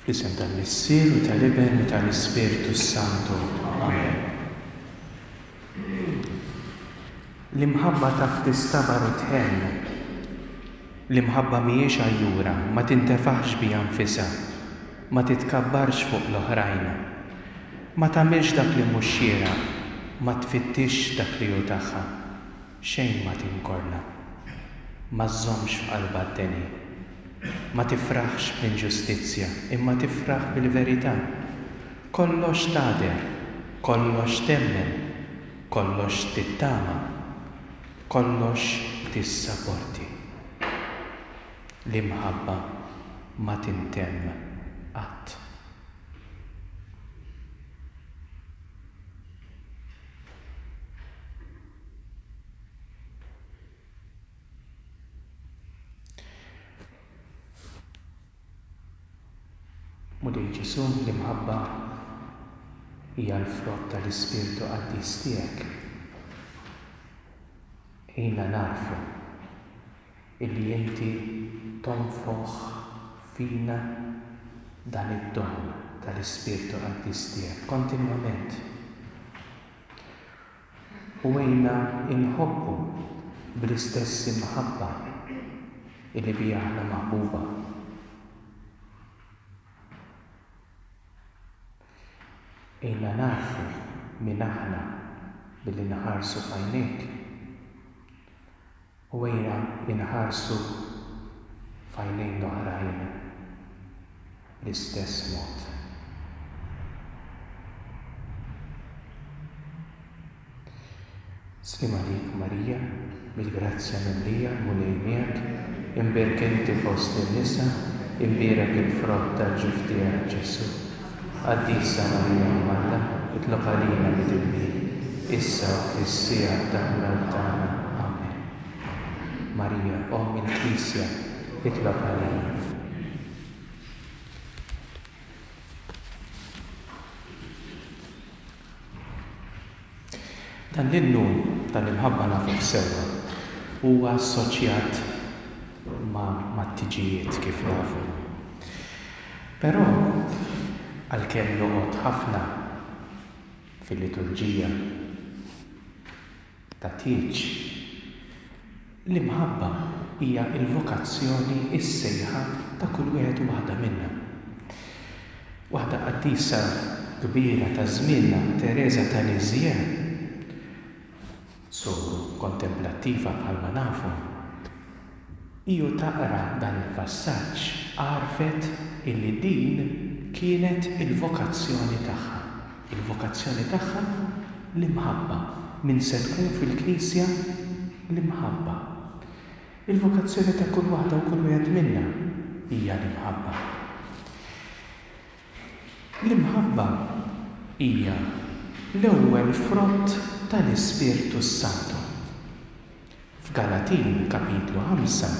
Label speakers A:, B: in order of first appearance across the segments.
A: Fl-isem tal-Missier u tal-Iben u tal-Ispirtu s-Santu. Amen. L-imħabba taf tistabar u tħenn. L-imħabba mhijiex għajjura, ma tintefaħx biha nfisha, ma titkabbarx fuq l-oħrajn. Ma tagħmilx dak li mhux xieraq, ma tfittixx dak li hu tagħha. Xejn ma tinkorla. Ma żżommx f'qalbha d-deni. Ma tifraħx bl-inġustizzja, imma tifraħ bil-verità. Kollox tagħder, kollox temmen, kollox tittama, kollox tissaporti. L-imħabba ma tintemm qatt. Mulej Ġesù, l-imħabba hija l-frott tal-Ispirtu Qaddis tiegħek. Għinna nagħrfu illi inti tonfoħ fina dan id-don tal-Ispirtu Qaddis tiegħek kontinwament. U għinna nħobbu bl-istess imħabba illi biha aħna maħbuba. Għinna nagħrfu min aħna billi nħarsu f'għajnejk. U għinna nħarsu f'għajnejn l-oħrajn bl-istess mod. Sliem għalik Marija, bil-grazzja mimlija, l-Mulej miegħek, imbierka inti fost in-nisa, imbierek il-frott tal-ġuf tiegħek Ġesù. Qaddisa Marija Omm Alla, itlob għalina midinbin, issa u fis-siegħa tal-mewt tagħna. Amen. Marija, Omm il-Knisja, itlob għalina. Dan l-innu tal-imħabba nafuh sewwa. Huwa assoċjat ma' mat-tiġijiet kif nafu. Però, għalkemm joqgħod ħafna fil-liturġija ta' tieġ, l-imħabba hija l-vokazzjoni, is-sejħa ta' kull wieħed u waħda minna. Waħda qaddisa kbira ta' żmienna, Tereża ta' Lisieux, soru kontemplattiva bħalma nafu, hi u taqra dan il-passaġġ għarfet illi din kienet il-vokazzjoni tagħha. Il-vokazzjoni tagħha, l-imħabba. Min se tkun fil-Knisja? L-imħabba. Il-vokazzjoni ta' kull waħda u kull wieħed minna hija l-imħabba. L-imħabba hija l-ewwel frott tal-Ispirtu s-Santu. F'Galatin kapitlu 5,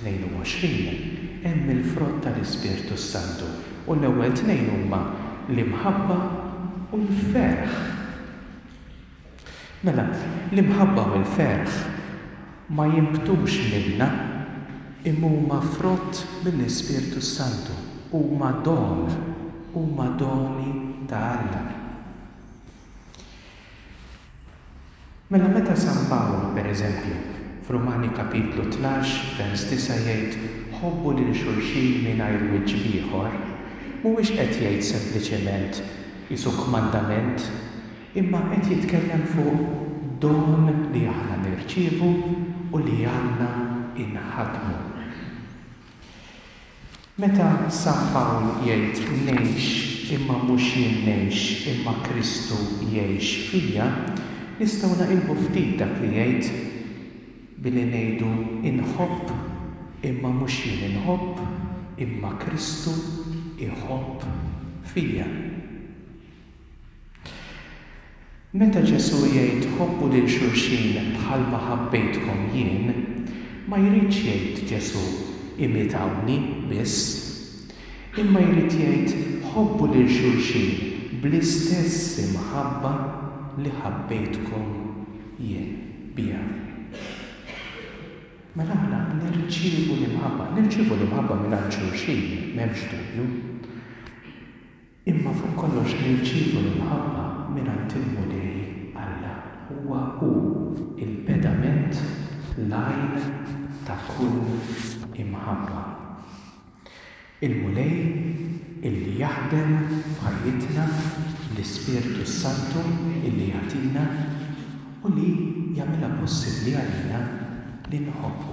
A: 22 hemm il-frott tal-Ispirtu s-Santu u l-ewwel tnejn huma l-imħabba u l-ferħ. Mela, l-imħabba u l-ferħ ma jinbtux minna, imma huma frott mill-Ispirtu s-Santu, huma don, huma doni ta' Alla. Mela meta San Pawl, per eżempju, f'Rumani kapitlu 12, vers 9 jgħid ħobbu lil xulxin mingħajr wiċċ b'ieħor, mhuwiex qed jgħid sempliċement qisu kmandament Imma qed jitkellem fuq don li aħna nirċievu u li għandna inħaddmu. Meta San Pawl jgħid ngħix imma mhux jien ngħix imma Kristu jgħix fija, nistgħu naqilbu ftit dak li jgħid billi ngħidu inħobb imma mhux jien inħobb imma Kristu jħobb fija. Meta Ġesù jgħid ħobbu lil xulxin bħalma ħabbejtkom jien, ma jridx jgħid Ġesù imitawni biss, imma jrid jgħid ħobbu lil xulxin bl-istess imħabba li ħabbejtkom jien biha. Mela aħna nirċievu l-imħabba, nirċievu l-imħabba mingħand xulxin, m'hemmx dubju. Imma fuq kollox nirċievu l-imħabba mingħand il-Mulej Alla. Huwa Hu l-pedament, l-għajn ta' kull imħabba. Il-Mulej illi jaħdem f'ħajjitna bl-Ispirtu s-Santu illi jagħtina u li jagħmilha possibbli għalina li nħobbu.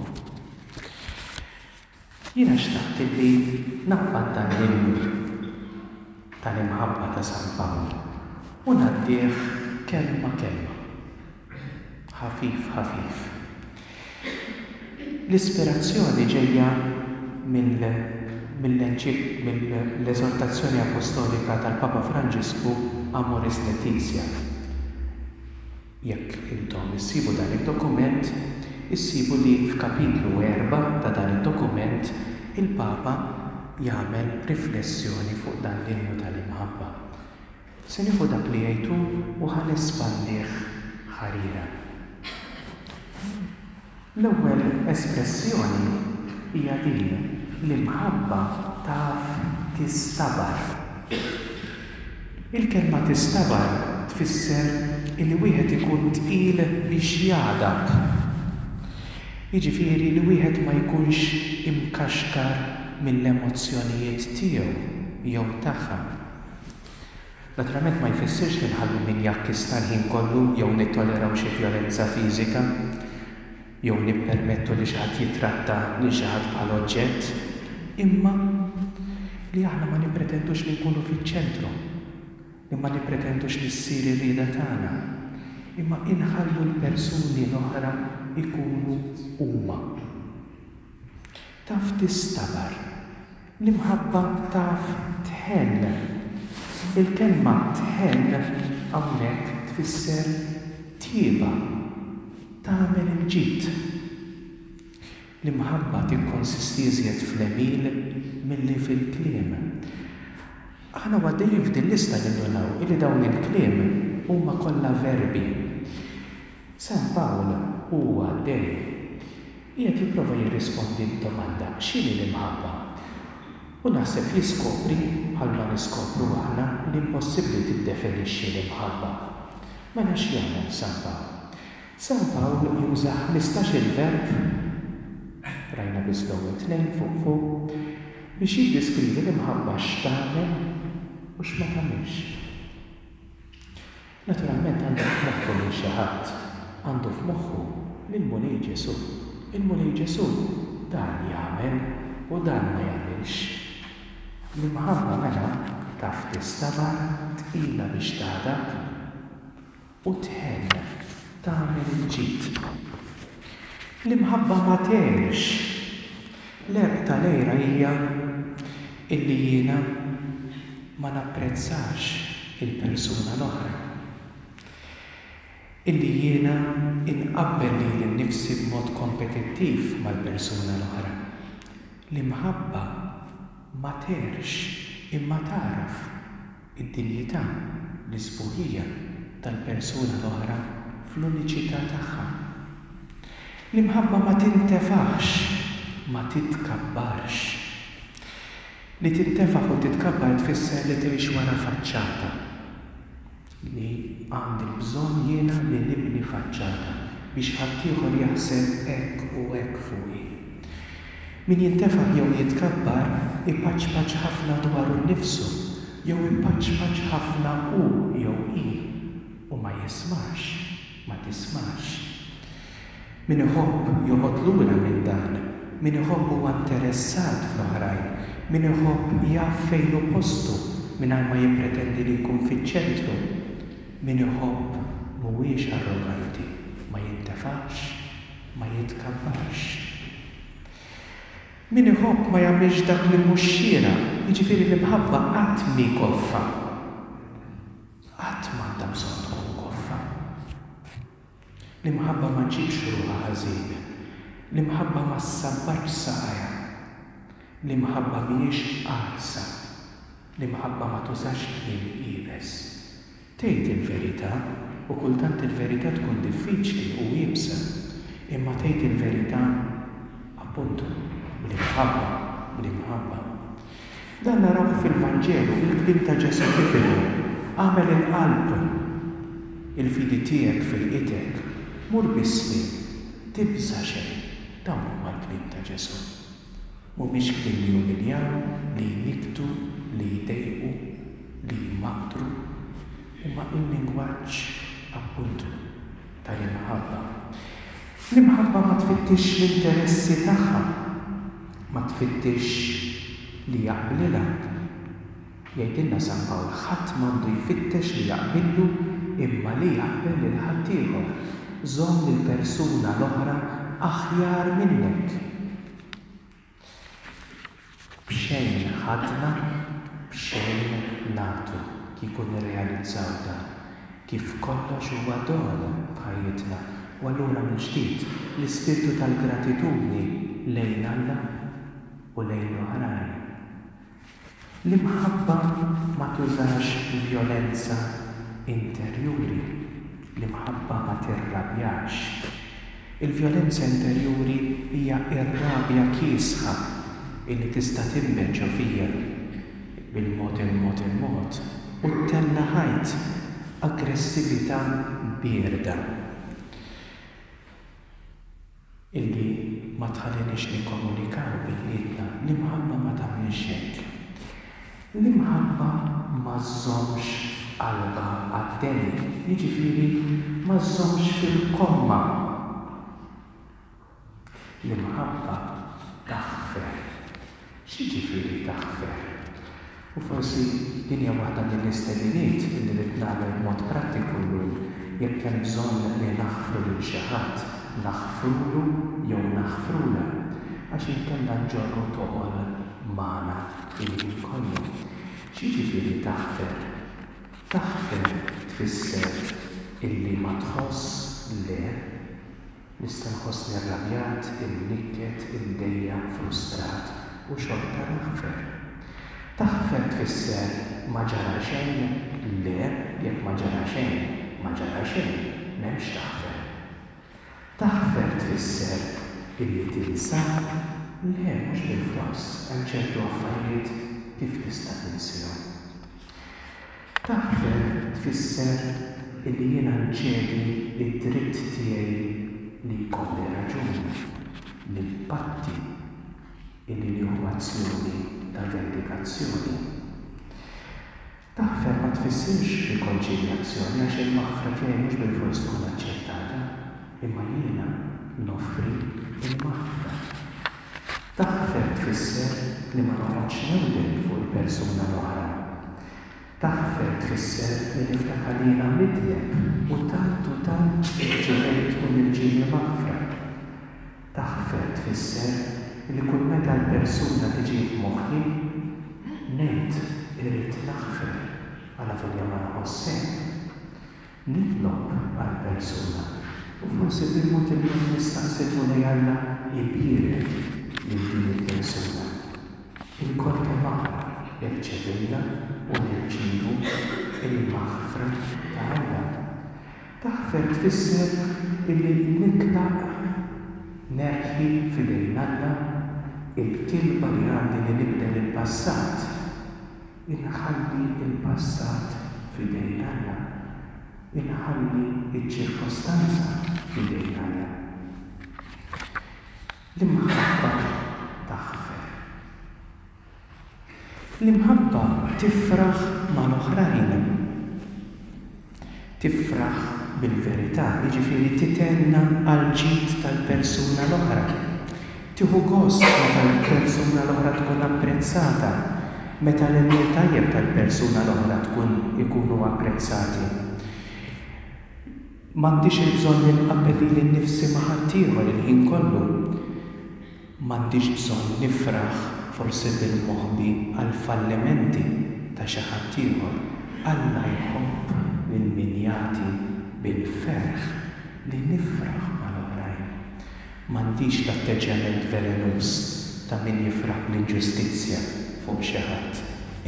A: Jiena xtaqt illi naqbad dan l-innu tal-imħabba ta' San Pawl u ngħaddih kelma kelma, ħafif ħafif. L-ispirazzjoni ġejja mill-Eżortazzjoni Appostolika tal-Papa Franġisku Amoris Laetitia. Jekk intom issibu dan id-dokument, issibu li f'kapitlu erbgħa ta' dan id-dokument il-Papa jagħmel riflessjoni fuq dan l-innu tal-imħabba. Se nieħu dak li jgħid hu u ħa nespandih ħarira. L-ewwel espressjoni hija din, l-imħabba taf tistabar. Il-kelma tistabar tfisser illi wieħed ikun tqil biex jagħdab. Jiġifieri li wieħed ma jkunx imkaxkar mill-emozzjonijiet tiegħu jew tagħha. Naturalment ma jfissirx li nħallu min jakkwista l-ħin kollu jew nittoleraw xi vjolenza fiżika jew nippermettu li xi ħadd jittratta lil xi ħadd bħala oġġett, imma li aħna ma nippretendux li nkunu fiċ-ċentru, li ma nippretendux li ssir ir-rieda tagħna, imma inħallu l-persuni l-oħra jkunu huma. Taf tistabar. L-imħabba taf tħenn. Il-kelma tħenn hawnhekk tfisser tjieba, tagħmel il-ġid. L-imħabba tikkonsisti iżjed fl-għemil milli fil-kliem. Aħna u għaddejjin f'din lista nindunaw illi dawn il-kliem huma kollha verbi. San Pawl u hu għaddej, qiegħed jipprova jirrispondi d-domanda x'inhi l-imħabba? U naħseb jiskopri, bħalma niskopru aħna, li impossibbli tiddefinixxi l-imħabba. Mela x'jagħmel San Pawl? San Pawl juża ħmistax-il verb, rajna biss l-ewwel tnejn fuq fuq, biex jiddiskrivi l-imħabba x'tagħmel u x'ma tagħmilx. Naturalment għandu f'moħħu lil xi ħadd. Għandu f'moħħu lill-Mulej Ġesù. Il-Mulej Ġesù dan jagħmel u dan ma jagħmilx. L-imħabba mela taf tistabar, tqila biex tagħdab u tħenn, tagħmel il-ġid. L-imħabba ma tgħirx. L-għerq tal-għira hija illi jiena ma napprezzax il-persuna l-oħra. Illi jiena inqabbel lili nnifsi b'mod kompetittiv mal-persuna l-oħra. L-imħabba ma tgħirx imma tagħraf id-dinjità, l-isbuħija tal-persuna l-oħra fl-uniċità tagħha. L-imħabba ma tintefaħx, ma titkabbarx. Li tintefaħ u titkabbar tfisser li tgħix wara faċċata. Li għandi l-bżonn jiena li nibni faċċata biex ħaddieħor jaħseb hekk u hekk fuqi. Min jintefaħ jew jitkabbar ipaċpaċ ħafna dwaru nnifsu jew ipaċpaċ ħafna hu jew hi u ma jismax, ma tismax. Min iħobb joqgħod lura minn dan, min iħobb huwa interessat fl-oħrajn, min iħobb jaf fejn hu postu mingħajr ma jippretendi li jkun fiċ-ċentru. Min iħobb mhuwiex arroganti, ma jintefax, ma jitkabbarx. Min iħobb ma jagħmilx dak li mhux xieraq, jiġifieri l-imħabba qatt mhi koffa. Qatt m'għandha bżonn tkun koffa. L-imħabba ma ġġibx ruħha ħażin. L-imħabba ma ssabbatx saqajha. L-imħabba mhijiex qarsa. L-imħabba ma tużax kliem iebes. Tgħid il-verità, u kultant il-verità tkun diffiċli u iebsa, imma tgħid il-verità. Appuntu, bl-imħabba, bl-imħabba. Dan narawh fil-Vanġelu, il-kliem ta' Ġesù kif inhu, Agħmel il-qalb, il-fidi tiegħek fejqitek, mur bis-sliem, tibża' xejn. Dawn huma l-kliem ta' Ġesù. Mhumiex kliem li jumiljaw, li jnikktu, li jdejqu, li jmaqdru. Huma il-lingwaġġ, appuntu, tal-imħabba. L-imħabba ma tfittixx l-interessi tagħha, ma tfittixx li jaqblilha. Jgħidilna San Pawl, ħadd m'għandu jfittex li jaqbillu imma li jaqbel lil ħaddieħor. Żomm lill-persuna l-oħra aħjar minnek. B'xejn ħadna, b'xejn nagħtu, kieku nirrealizzaw dan, kif kollox huwa don f'ħajjitna u allura mill-ġdid l-ispirtu tal-gratitudni lejn Alla u lejn l-oħrajn. L-imħabba ma tużax vjolenza interjuri. L-imħabba ma tirrabjax. Il-vjolenza interjuri hija r-rabja kiesħa illi tista' tinbet ġo fija bil-mod il-mod il-mod u ttella' ħajt, aggressività bierda. Illi ma tħalliniex nikkomunikaw bejnietna, l-imħabba ma tagħmilx hekk. L-imħabba ma żżommx f'qalbha għad-deni, jiġifieri ma żżommx fil-komma. L-imħabba taħfer. X'jiġifieri taħfer? U forsi din hija waħda mill-istediniet li rrid nagħmel b'mod prattiku llum, jekk hemm bżonn li naħfru lil xi ħadd, naħfrulu jew naħfrulha, għax inkella nġorru toqol magħna l-ħin kollu. X'jiġifieri taħfer? Taħfer tfisser illi ma tħoss le Nista' nħossni rrabjat, imnikket, imdejjaq, frustrat, u xorta naħfer. Taħfer tfisser ma ġara xejn? Le, jekk ma ġara xejn, ma ġara xejn, m'hemmx taħfer. Taħfer tfisser illi tinsa? Le, mhux bilfors, hemm ċertu affarijiet kif tista' tinsihom. Taħfer tfisser illi jiena nċedi d-dritt tiegħi li jkolli raġun, li npatti, illi nieħu azzjoni ta' vendikazzjoni. Taħfer ma tfissirx rikonċiljazzjoni għax il-maħfra tiegħi mhux bilfors tkun aċċettata, imma jiena noffri l-maħfra. Taħfer tfisser li ma noqgħodx newden fuq il-persuna l-oħra. Taħfer tfisser li niftakar li jiena midneb u tant u tant irċevejt u nirċievi maħfra. Taħfer tfisser li kull meta l-persuna tiġi f'moħħi, ngħid irrid naħfer alavolja ma nħoss hekk. Nitlob għall-persuna u forsi bil-mod il-mod nistaqsi l-Mulej Alla jbierek lil din il-persuna. Ilkoll kemm aħna rċevejna u nirċievu l-maħfra ta' Alla. Taħfer tfisser illi nitlaq nerħi f'idejn Alla l-kilba li għandi li nibdel il-passat. Inħalli l-passat f'idejn Alla. Inħalli ċ-ċirkostanza f'idejn Alla. L-imħabba taħfer. L-imħabba tifraħ mal-oħrajn. Tifraħ bil-verità, jiġifieri tithenna għall-ġid tal-persuna l-oħra. Tieħu gost meta l-persuna l-oħra tkun apprezzata, meta l-għemil tajjeb tal-persuna l-oħra tkun ikunu apprezzati. M'għandix il-bżonn li nqabbel lili nnifsi ma' ħaddieħor il-ħin kollu. M'għandix bżonn nifraħ, forsi bil-moħbi, għall-fallimenti ta' xi ħaddieħor. Alla jħobb lil min jagħti bil-ferħ, li nifraħ mal-oħrajn. M'għandix l-atteġġjament velenuż ta' min jifraħ bl-inġustizzja fuq xi ħadd,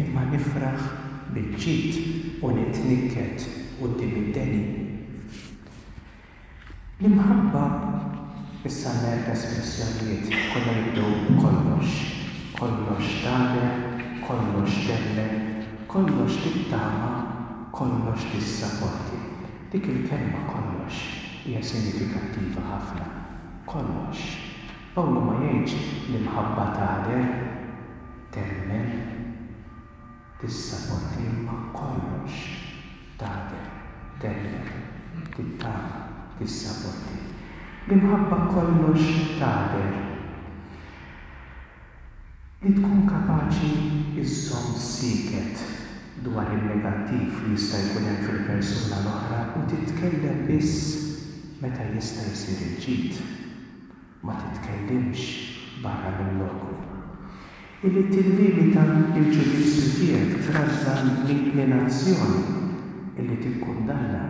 A: imma nifraħ bil-ġid u nitnikket quddiem id-deni. L-imħabba. Issa għandna erba' espressjonijiet, kollha jibdew b'kollox. Kollox tagħder, kollox temmen, kollox tittama, kollox tissaporti. Dik il-kelma kollox hija sinifikattiva ħafna. Kollox. Pawlu ma jgħidx l-imħabba tagħder, temmen, Tissaporti imma kollox, tagħder, temmen, tittama, tissaporti. L-imħabba kollox tagħder. Li tkun kapaċi żżomm sieket dwar in-negattiv li jista' jkun hemm fil-persuna l-oħra u titkellem biss meta jista' jsir il-ġid. Ma titkellimx barra minn loku. Illi tillimita l-ġudizzju tiegħek trażżan l-inklinazzjoni illi tikkundanna.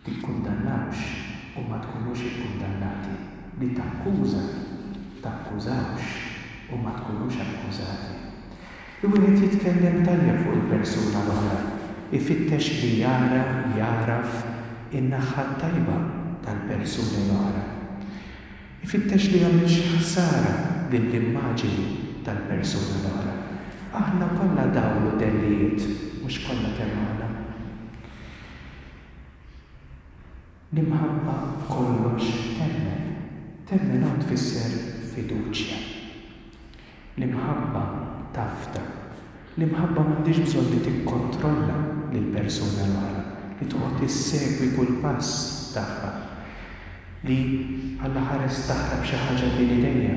A: Tikkundannawx u ma tkunux ikkundannati. Li takkuża, takkużawx u ma tkunux akkużati. Li wieħed jitkellem tajjeb fuq il-persuna l-oħra, ifittex li jara, jagħraf in-naħa t-tajba tal-persuni l-oħra. Ifittex li jagħmilx ħsara lill-immaġini tal-persuna l-oħra. Aħna kollha dawl u dellijiet, mhux kollha kemm aħna. L-imħabba kollox temmen. Temmen hawn tfisser fiduċja. L-imħabba tafda. L-imħabba m'għandhiex bżonn li tikkontrolla lill-persuna l-oħra, li toqgħod issegwi kull pass tagħha, li Alla ħares taħrab xi ħaġa bejn idejja.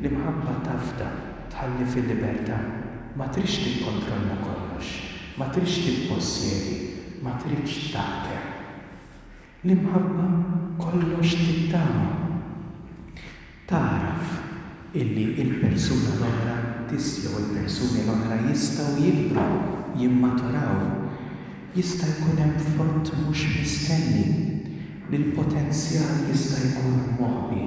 A: L-imħabba tafda, tħalli fil-libertà. Ma tridx tikkontrolla kollox, ma tridx tippossjedi, ma tridx taħkem. L-imħabba kollox tittama. Tagħraf illi l-persuna l-oħra tis jew il-persuni l-oħra jistgħu jikbru, jimmaturaw. Jista' jkun hemm frott mhux mistenni, li l-potenzjal jista' jkun moħbi.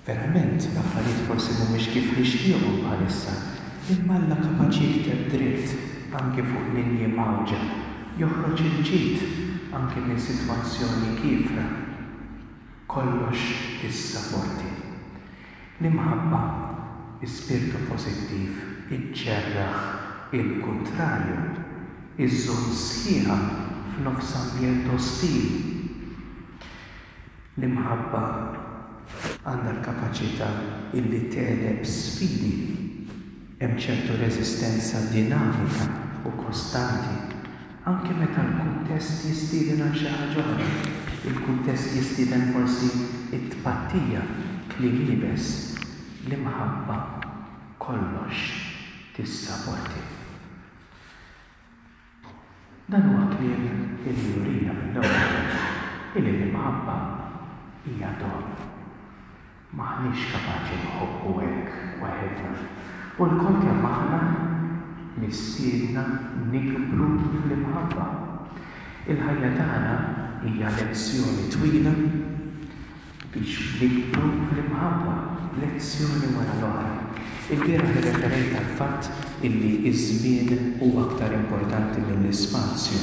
A: Verament, l-affarijiet forsi mhumiex kif nixtieqhom bħalissa, imma Alla kapaċi jikteb dritt anki fuq linji mgħawġa, joħroġ il-ġid anki minn sitwazzjoni kiefra. Kollox tissaporti. L-imħabba, ispirtu pożittiv, iġġerraħ il-kuntrarju, iżżomm sħiħa f'nofs ambjent ostili. L-imħabba għandha l-kapaċità illi tegħleb sfidi. Hemm ċertu reżistenza dinamika u kostanti, anki meta l-kuntest jistieden għal xi ħaġa oħra. Il-kuntest jistieden forsi t-tpattija, kliem iebes. L-imħabba kollox tissaporti. Dan huwa kliem illi jurina mill-ewwel illi l-imħabba hija don. M'aħniex kapaċi nħobbu hekk waħedna, u lkoll kemm aħna mistiedna nikbru fl-imħabba. Il-ħajja tagħna hija lezzjoni twila biex nikbru fl-imħabba, lezzjoni wara l-oħra. Ilbieraħ irreferejt għall-fatt illi ż-żmien huwa aktar importanti mill-ispazju.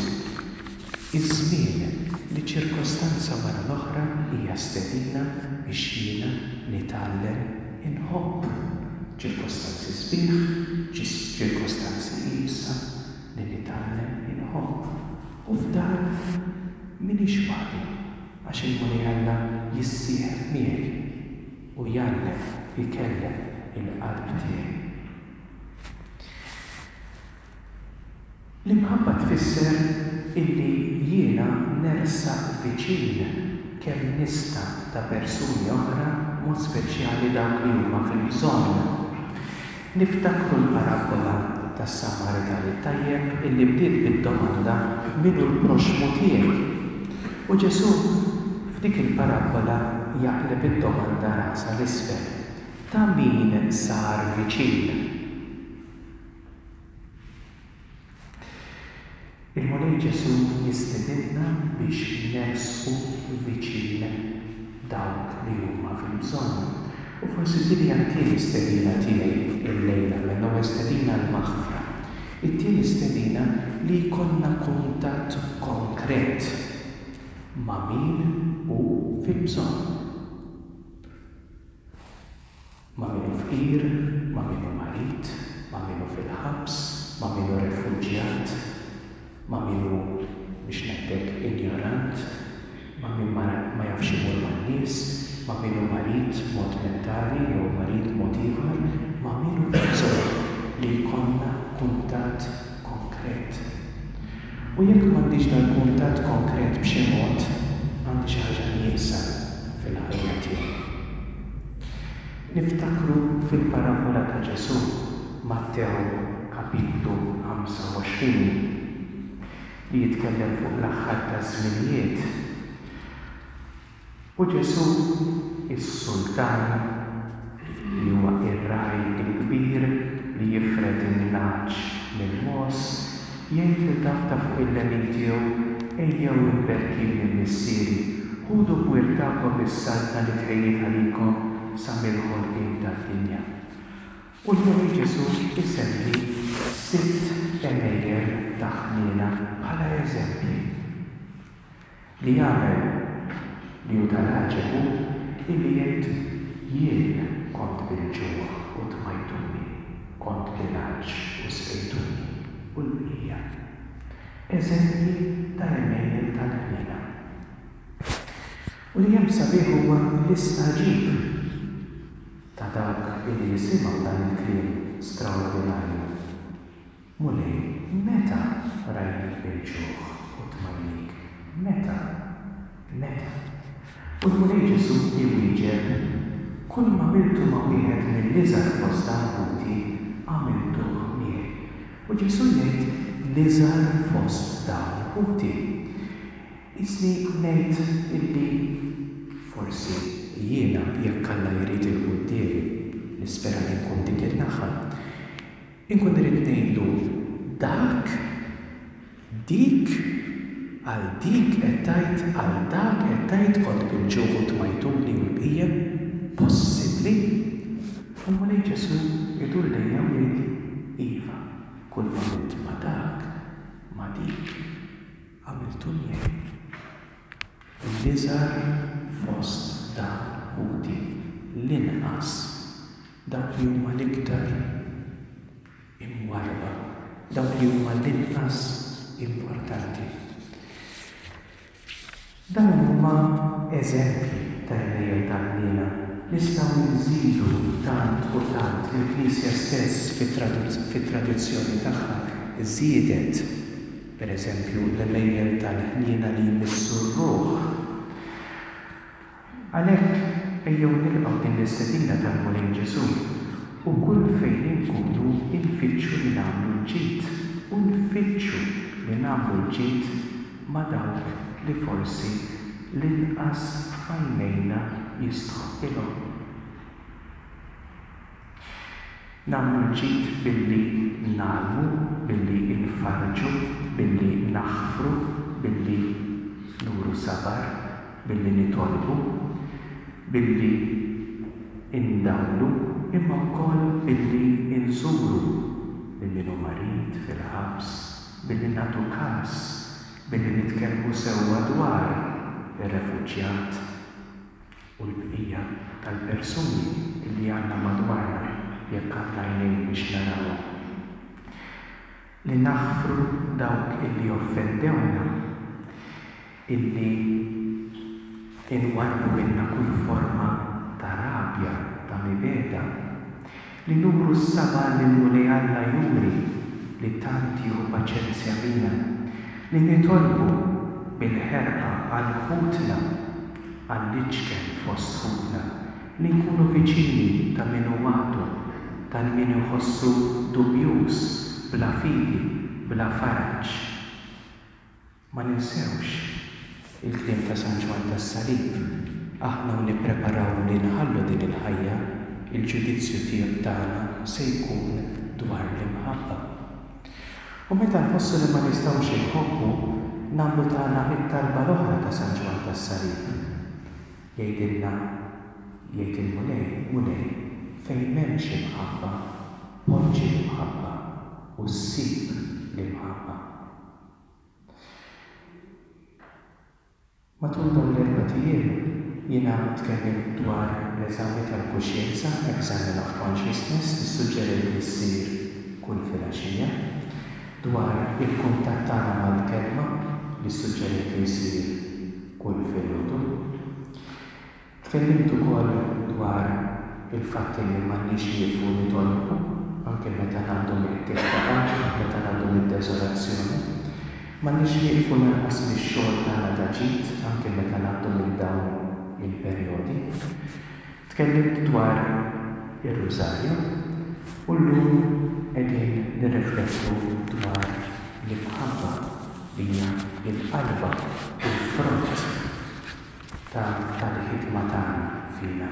A: Iż-żmien li ċirkostanza wara l-oħra hija stedina biex jiena nitgħallem inħobb. Ċirkostanzi sbieħ, ċirkostanzi iebsa li nitgħallem inħobb. U f'dan m'iniex waħdi. Għax il-Mulej Alla jissieħeb miegħi u jgħallem, ikellem il-qalb tiegħi. L-imħabba tfisser illi jiena nersaq viċin kemm nista' ta' persuni oħra, b'mod speċjali dawk li huma fil-bżonn. Niftakru l-parabbola tas-Samaritan it-Tajjeb illi bdiet bid-domanda min hu l-proxxmu tiegħi? U Ġesù f'dik il-parabbola jaqleb id-domanda rasha 'l isfel, ta' min sar viċin? Il-Mulej Ġesù jistedinna biex nersqu viċin dawk li huma fil-bżonn. U forsi din hija t-tieni stedina tiegħi llejla, mela l-ewwel stedina l-maħfra. It-tieni stedina li jkollna kuntatt konkret ma' min hu fil-bżonn. min hu fqir, ma' min hu marid, ma' min hu fil-ħabs, ma' min hu refuġjat, ma' min hu, biex ngħid hekk, injorant, ma' min ma jafx imur man-nies, ma' min hu marid b'mod mentali jew marid b'mod ieħor, ma' min hu fil-bżonn li jkollna kuntatt konkret. U jekk m'għandix dal-kuntatt konkret b'xi mod, għandi xi ħaġa nieqsa fil-ħajja tiegħi. Niftakru fil-parabbola ta' Ġesù, Mattew kapitlu 25, li jitkellem fuq l-aħħar taż-żminijiet. U Ġesù, is-Sultan, li huwa r-Ragħaj il-Kbir li jifred in-nagħaġ mill-mogħoż, jgħid lil dawk ta' fuq il-lemin tiegħu, Ejjew imberkin minn Missieri, ħudu b'wirt tagħkom is-saltna li tħejjiet għalikom sa mill-ħolqien tad-dinja. U l-Mulej Ġesù jsemmi sitt għemejjel ta' ħniena bħala eżempji. Li jagħmel li hu tal-għaġeb hu illi jgħid, Jien kont bil-ġuħ u tmajtuni, kont bil-għatx u sqejtuni, u l-bqija. Eżempji ta' għemejjel tal-ħniena. U li hemm sabiħ huwa l-istagħġib ta' dawk illi jisimgħu dan il-kliem straordinarju. Mulej, meta rajnik bil-ġuħ u tmajnik? Meta? Meta? U l-Mulej Ġesù iwieġeb, Kull m'għamiltu ma' wieħed mill-iżgħar fost dawn ħuti, għamiltuh miegħi. U Ġesù jgħid l-iżgħar fost dawn ħuti. Qisni ngħid illi forsi jiena, jekk Alla jrid 'il quddiem, nispera li nkun dik in-naħa, Inkun irrid ngħidlu dak, dik, għal dik qed tgħid, għal dak qed tgħid kont bil-ġuħ u tmajtuni u l-bqija. Possibbli? U l-Mulej Ġesù jdur lejja u jgħidli, iva, kull m'għamilt ma' dak, ma' dik, għamiltu miegħi. L-iżgħar fost dawn ħuti, l-inqas. Dawk li huma l-iktar imwarrba, dawk li huma l-inqas importanti. Dawn huma eżempji ta' għemejjel ta' ħniena. Nistgħu nżidu tant u tant, il-Knisja stess fit-tradizzjoni tagħha żiedet, per eżempju, l-għemejjel tal-ħniena li jmissu r-ruħ. Għalhekk, ejjew nilqgħu din l-istedina tal-Mulej Ġesù u kull fejn inkunu nfittxu li nagħmlu l-ġid u nfittxu li nagħmlu l-ġid ma' dawk li forsi l-inqas f'għajnejna jistħoqqilhom. Nagħmlu l-ġid billi ngħallmu, billi nfarrġu, billi naħfru, billi nuru sabar, billi nitolbu, billi ndawlu, imma wkoll billi nżuru lil min hu marid fil-ħabs, billi nagħtu kas, billi nitkellmu sewwa dwar ir-refuġjat. u l-bqija tal-persuni li għandna madwarna jekk għandna għajnejn biex narawhom. Li naħfru dawk illi offendewna, illi inwarrbu minna kull forma ta' rabja, ta' mibegħda. Li nuru s-sabar li l-Mulej Alla juri li tant jieħu paċenzja bina. Li nitolbu bil-ħerqa għal ħutna, għall-iċken fost ħutna, li nkunu viċini ta' min hu waħdu, tal-min iħossu dubjuż, bla fidi, bla faraġ. Ma ninsewx il-kliem ta' San Ġwann tas-Salib, aħna u nippreparaw li nħallu din il-ħajja, il-ġudizzju tagħna se jkun dwar l-imħabba. U meta nħossu li ma nistgħux inħobbu, nagħmlu tagħna t-talba l-oħra ta' San Ġwann tas-Salib. Jgħidilna, jgħid il-Mulej, Mulej, fejn m'hemmx imħabba, poġġi l-imħabba u ssib l-imħabba. Matul dawn l-erbat ijiem jiena tkellimt dwar. l-eżami tal-kuxjenza, examen of consciousness, li ssuġġerejt li ssir kull filgħaxija, dwar il-kuntatt tagħna mal-Kelma, li ssuġġerejt li jsir kull filgħodu. Tkellimt ukoll dwar il-fatt li m'għandniex nieqfu nitolbu anke meta ngħaddu mill-qtigħ ta' qalb, meta ngħaddu mid-deżolazzjoni. M'għandniex nieqfu lanqas mix-xogħol tagħna ta' ġid anke meta ngħaddu minn dawn il-perjodi. Tkellimt dwar ir-Rużarju u llum qegħdin nirriflettu dwar l-imħabba li hija l-qalba u l-frott ta' tal-ħidma tagħna fina.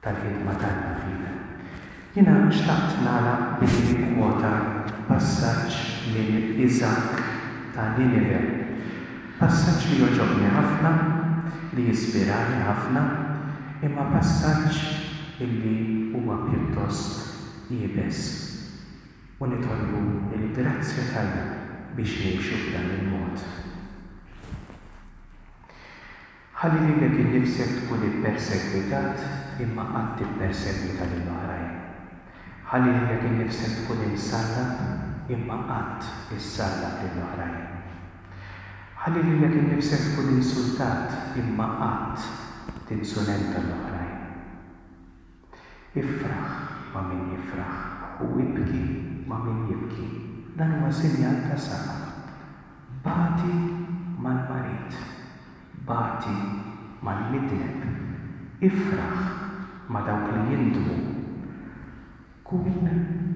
A: Tal-ħidma t'Alla fina. Jiena xtaqt nagħlaq billi nikkwota passaġġ minn Iżakk ta' Ninive. Passaġġ li jogħġobni ħafna, li jispirani ħafna, imma passaġġ illi huwa pjuttost iebes. U nitolbu l-grazzja t'Alla biex ngħixu b'dan il-mod. Ħalli lilek innifsek tkun ippersegwitat imma qatt tippersegwita lil oħrajn. Ħalli lilek innifsek tkun imsallab imma qatt issallab lil oħrajn. Ħalli lilek innifsek tkun insultat imma qatt tinsulenta l-oħrajn. Ifraħ ma' min jifraħ u ibki ma' min jibki. Dan huwa sinjal ta' safa. Bati mal-marid. Bati mal-midneb. Ifraħ ma' dawk li jindmu. Kun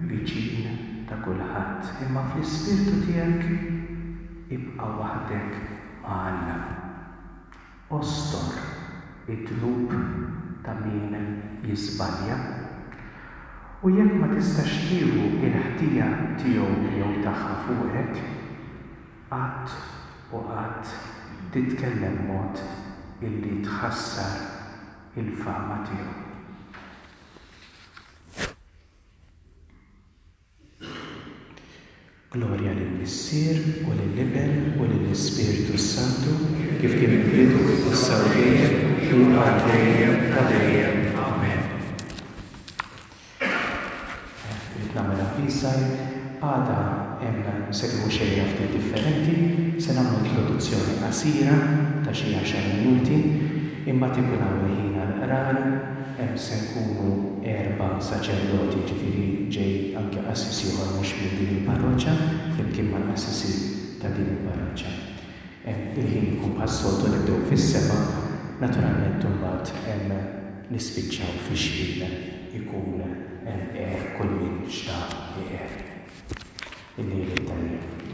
A: viċin ta' kulħadd, imma fl-ispirtu tiegħek ibqa' waħdek ma' Alla. Ostor id-dnub ta' min jiżbalja, u jekk ma tistax tieħu l-ħtija tiegħu jew tagħha fuqek, qatt u qatt titkellem mod illi tħassar il-fama tiegħu. Glorja lill-Missier, u lill-Iben, u lill-Ispirtu s-Santu, kif kien fil-bidu, issa u dejjem, u għal dejjem ta' dejjem. Amen. Irrid nagħmel avviż żgħir, għada hemm se tieħu xejra ftit differenti, se nagħmlu introduzzjoni qasira ta' xi għaxar minuti, imbagħad ikun hawn il-ħin għall-qrar, Hemm se nkunu erba' saċerdoti, jiġifieri ġej anke qassis ieħor mhux minn din il-parroċċa, flimkien mal-qassisin ta' din il-parroċċa. Hemm il-ħin ikun bħas-soltu nibdew fis-sebgħa, naturalment imbagħad hemm nispiċċaw fix-xħin ikun hemm għer kull min xtaq iqer. Il-lejl it-tajjeb.